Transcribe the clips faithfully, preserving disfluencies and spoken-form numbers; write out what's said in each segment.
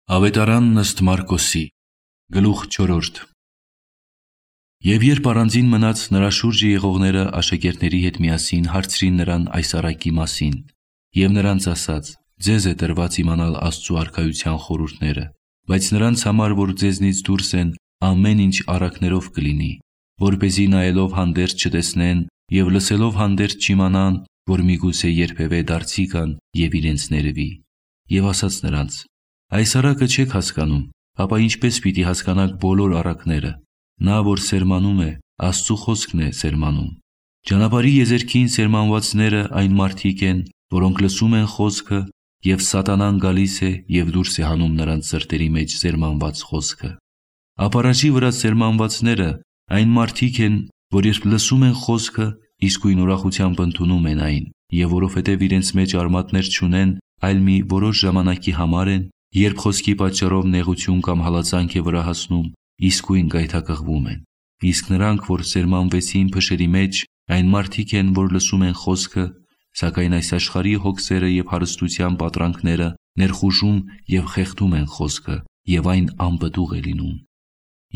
Ավետարանն ըստ Մարկոսի, գլուխ չորրորդ։ Եվ երբ առանձին մնաց, նրա շուրջը եղողները աշակերտների հետ միասին հարցրին նրան այս առակի մասին, և նրանց ասաց. ձեզ է տրված իմանալ Աստծու արքայության խորհուրդները, բայց նրանց համար, որ ձեզնից դուրս են, ամեն ինչ առակներով կլինի, որպեսզի նայելով հանդերձ չտեսնեն և լսելով հանդերձ չիմանան, որ միգուցե երբևէ դարձի գան և իրենց ներվի։ Եվ ասաց նրանց. այս առակը չեք հասկանում, ապա ինչպես պիտի հասկանաք բոլոր առակները։ Նա, որ սերմանում է, Աստծու խոսքն է սերմանում։ Ճանապարհի եզերքին սերմանվածները այն մարդիկ են, որոնք լսում են խոսքը, և սատանան գալիս է և դուրս է հանում նրանց սրտերի մեջ սերմանված խոսքը։ Ապառաջի վրա սերմանվածները այն մարդիկ են, որ երբ լսում են խոսքը, իսկույն ուրախությամբ ընդունում են այն, և որովհետև իրենց մեջ արմատներ չունեն, այլ մի որոշ ժամանակի համար են, երբ խոսքի պատճառով նեղություն կամ հալածանք է վրա հասնում, իսկույն գայթակղվում են։ Իսկ նրանք, որ սերմանվեցին փշերի մեջ, այն մարդիկ են, որ լսում են խոսքը, սակայն այս աշխարհի հոգսերը և հարստության պատրանքները ներխուժում և խեղդում են խոսքը, և այն անպտուղ է լինում։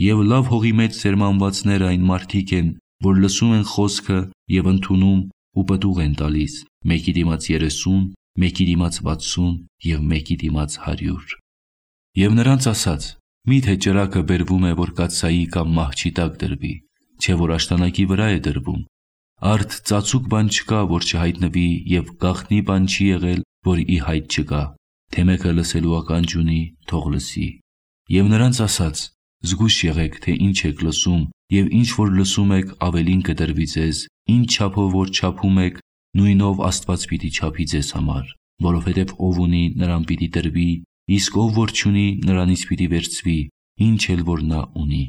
Եվ լավ հողի մեջ սերմանվածները այն մարդիկ են, որ լսում են խոսքը և ընդունում ու պտուղ են տալիս, մեկի դիմաց երեսուն, մեկի դիմաց վաթսուն և մեկի դիմաց հարյուր։ Եվ նրանց ասաց. միթե ճրագը բերվում է, որ կաթսայի կամ մահճի տակ դրվի, չէ՞ որ աշտանակի վրա է դրվում։ Արդ ծածուկ բան չկա, որ չհայտնվի, և գաղտնի բան չի եղել, որ ի հայտ չգա։ Թե մեկը լսելու ականջ ունի, թող լսի։ Եվ նրանց ասաց. զգույշ եղեք, թե ինչ եք լսում, և ինչ որ լսում եք, ավելին կտրվի ձեզ, ինչ չափով որ չափում եք, նույնով Աստված պիտի չափի ձեզ համար, որովհետև ով ունի, նրան պիտի տրվի, իսկ ով որ չունի, նրանից պիտի վերցվի, ինչ էլ որ նա ունի։